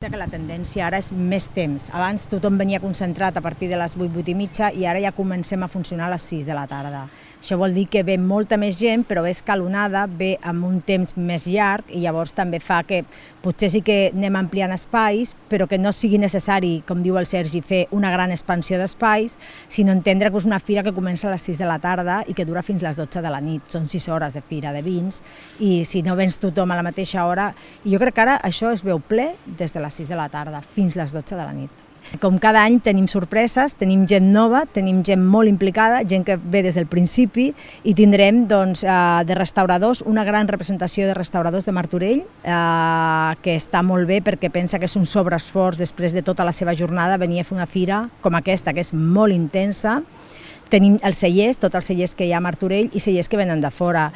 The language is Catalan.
Que la tendència ara és més temps. Abans tothom venia concentrat a partir de les 8, 8 i mitja i ara ja comencem a funcionar a les 6 de la tarda. Això vol dir que ve molta més gent, però ve escalonada, ve amb un temps més llarg i llavors també fa que potser sí que anem ampliant espais, però que no sigui necessari, com diu el Sergi, fer una gran expansió d'espais, sinó entendre que és una fira que comença a les 6 de la tarda i que dura fins a les 12 de la nit. Són 6 hores de fira de vins i si no vens tothom a la mateixa hora... I jo crec que ara això es veu ple des de les 6 de la tarda fins les 12 de la nit. Com cada any tenim sorpreses, tenim gent nova, tenim gent molt implicada, gent que ve des del principi i tindrem de restauradors, una gran representació de restauradors de Martorell que està molt bé perquè pensa que és un sobreesforç després de tota la seva jornada venir a fer una fira com aquesta que és molt intensa. Tenim els cellers, tots els cellers que hi ha a Martorell i cellers que venen de fora.